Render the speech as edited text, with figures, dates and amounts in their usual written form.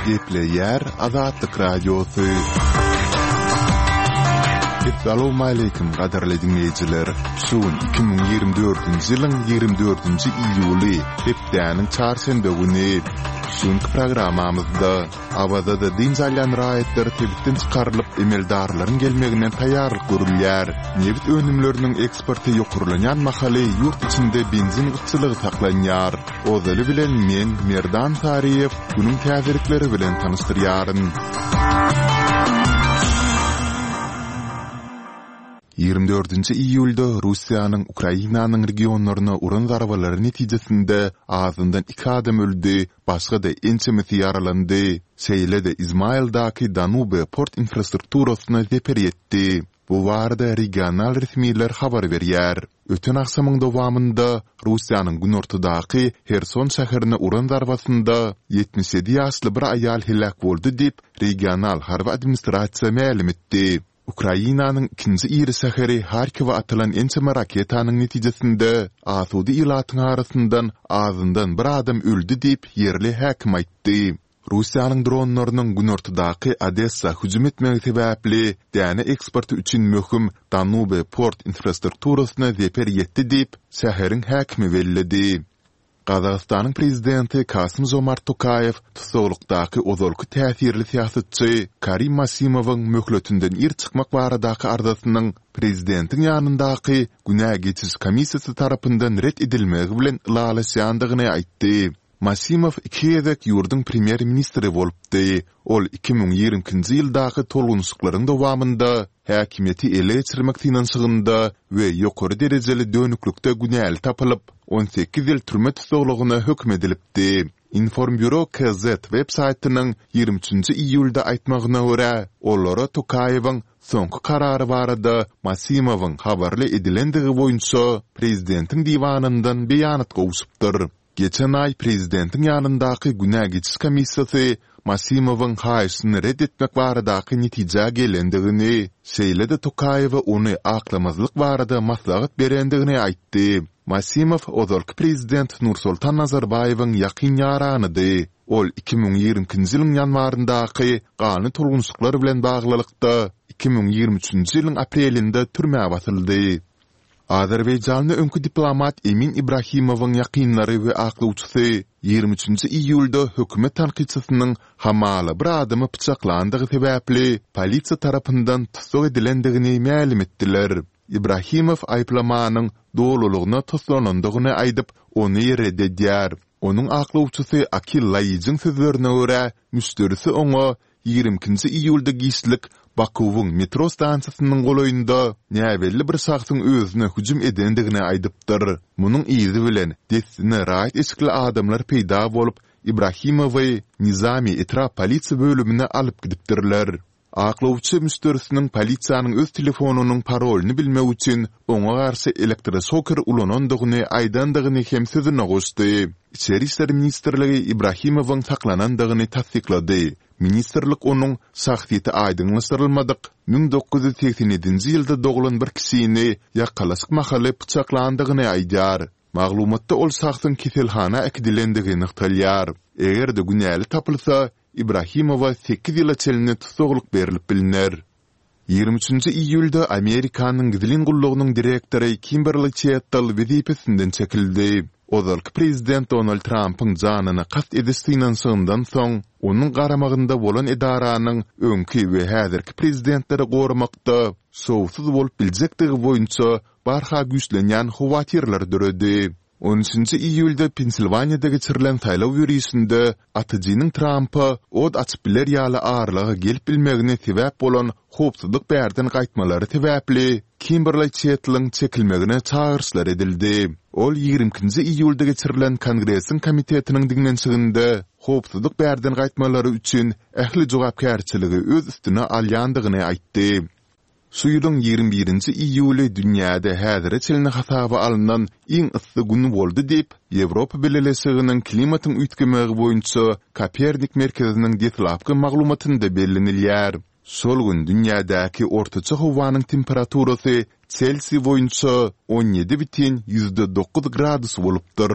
Gepleýär Azatlyk Radiosy. Essalawmaleýkim gadyrly diňleýjiler! Şu gün 2024-nji ýylyň 24-nji iýuly, hepdäniň çarşenbe güni. Şu günki programmamyzda Awazada dynç alýan raýatlar sebitden çykarylyp, emeldarlaryň gelmegine taýýarlyk görülýär. Nebit önümleriniň eksporty ýokarlanýan mahaly ýurt içinde benzin gytçylygy saklanýar. Ozaly bilen men, Merdan Saryýew, günüň täzelikleri bilen tanyşdyrýaryn. 24-nji iýulda Russiýanyň Ukrainanyň regionlaryna uran zarbalary netijesinde azyndan iki adam öldi, başga-da ençemesi ýaralandy. Şeýle-de Izmaildaky Danube port infrastrukturasyna zeper ýetdi. Bu barada regional resmiler habar berýär. Öten agşamyň dowamynda Russiýanyň günortadaky Herson şäherine uran zarbasynda 77 ýaşly bir aýal heläk boldy diýip, regional harby administrasiýa mälim etdi. Ukrainanyň ikinji iri şäheri Harkiwe atylan ençeme raketanyň netijesinde asuda ilatyň arasyndan azyndan bir adam öldi diýip, ýerli häkim aýtdy. Russiýanyň dronlarynyň günortadaky Odessa hüjüm etmegi sebäpli däne eksporty üçin möhüm Danube port infrastrukturasyna zeper ýetdi diýip, şäheriň häkimi belledi. Gazagystanyň prezidenti Kasym-Žomart Tokaýew tussaglykdaky ozalky täsirli syýasatçy Karim Masimowyň möhletinden ir çykmak baradaky arzasynyň prezidentiň ýanyndaky günä geçiş komissiýasy tarapyndan ret edilmegi bilen ylalaşýandygyny aýtdy. Masimow iki gezek ýurduň premýer-ministri bolupdy. Ol 2022-nji ýyldaky tolgunyşyklaryň dowamynda häkimiýeti ele geçirmek synanyşygynda we ýokary derejeli dönüklikde günäli tapylyp, 18 ýyl türme tussaglygyna höküm edilipdi. Informburo KZ web saýtynyň 23-nji iýulda aýtmagyna görä, olara Tokaýewiň soňky karary barada Masimowyň habarly edilendigi boýunça prezidentiň diwanyndan beýanat gowşupdyr. Geçen aý prezidentiň ýanyndaky günä geçiş komissiýasy Masimowyň haýyşyny ret etmek baradaky netijä gelendigini, şeýle-de Tokaýewe ony aklamazlyk barada maslahat berendigini aýtdy. Masimow ozalky prezident Nursultan Nazarbaýewiň ýakyn ýaranydy. Ol 2022-nji ýylyň ýanwaryndaky ganly tolgunyşyklar bilen baglylykda, 2023-nji ýylyň aprelinde türmä basyldy. Azerbaýjanly öňki diplomat Emin Ibrahimowyň ýakynlary we aklawçysy 23-nji iýulda hökümet tankytçysynyň hamala bir adamy pyçaklandygy sebäpli polisiýa tarapyndan tussag edilendigini mälim etdiler. Ibrahimow aýyplamanyň dolulygyna toslanandygyny aýdyp, ony ret edýär. Onuň aklawçysy Akil Laýijiň sözlerine görä, müşderisi oňa 22-nji iýulda giçlik Bakuwyň metro stansiýasynyň golaýynda näbelli bir şahsyň özüne hüjüm edendigini aýdypdyr. Munuň yzy bilen, dessine raýat eşikli adamlar peýda bolup, Ibrahimowy Nizami etrap polisiýa bölümine alyp gidipdirler. Aklawçy müşderisiniň polisiýanyň öz telefonynyň parolyny bilmek üçin oňa garşy elektroşoker ulanandygyny aýdandygyny hem sözüne goşdy. Içeri işler ministrligi Ibrahimowyň saklanandygyny tassyklady. Ministrlik onuň şahsyýeti aýdyňlaşdyrylmadyk, 1987-nji ýylda doglan bir kişini ýakalaşyk mahaly pyçaklandygyny aýdýar. Maglumatda ol şahsyň keselhana äkidilendigi nygtalýar. Eger-de günäli tapylsa, Ibrahimowa sekiz ýyla çenli tussaglyk berlip bilner. 23-nji iýulda Amerikanyň gizlin gullugynyň direktory Kimberli Çettel wezipesinden çekildi. Ozalky prezident Donald Trampyň janyna kast ediş synanyşygyndan soň, onuň garamagynda bolan edaranyň öňki we häzirki prezidentleri goramakda şowsuz bolup biljekdigi boýunça barha güýçlenýän howatyrlar döredi. On üçünji iýulda Pensilwaniýada geçirilen saýlaw ýörişinde atyjynyň Trampa ot açyp biler ýaly aralyga gelip bilmegine sebäp bolan howpsuzlyk bärden gaýtmalary sebäpli Kimberli Çettliň çekilmegine çagyryşlar edildi. Ol ýigrimi ikinji iýulda geçirilen Kongresiň komitetiniň diňlenişiginde howpsuzlyk bärden gaýtmalary üçin ähli jogapkärçiligi öz üstüne alýandygyny aýtdy. Şu ýylyň 21-nji iýuly dünýäde häzire çenli hasaba alnan iň yssy gün boldy diýip, Ýewropa Bileleşiginiň klimatyň üýtgemegi boýunça Kopernik merkeziniň deslapky maglumatynda bellenilýär. Şol gün dünýädäki ortaça howanyň temperaturasy Selsiý boýunça 17,9 gradus bolupdyr.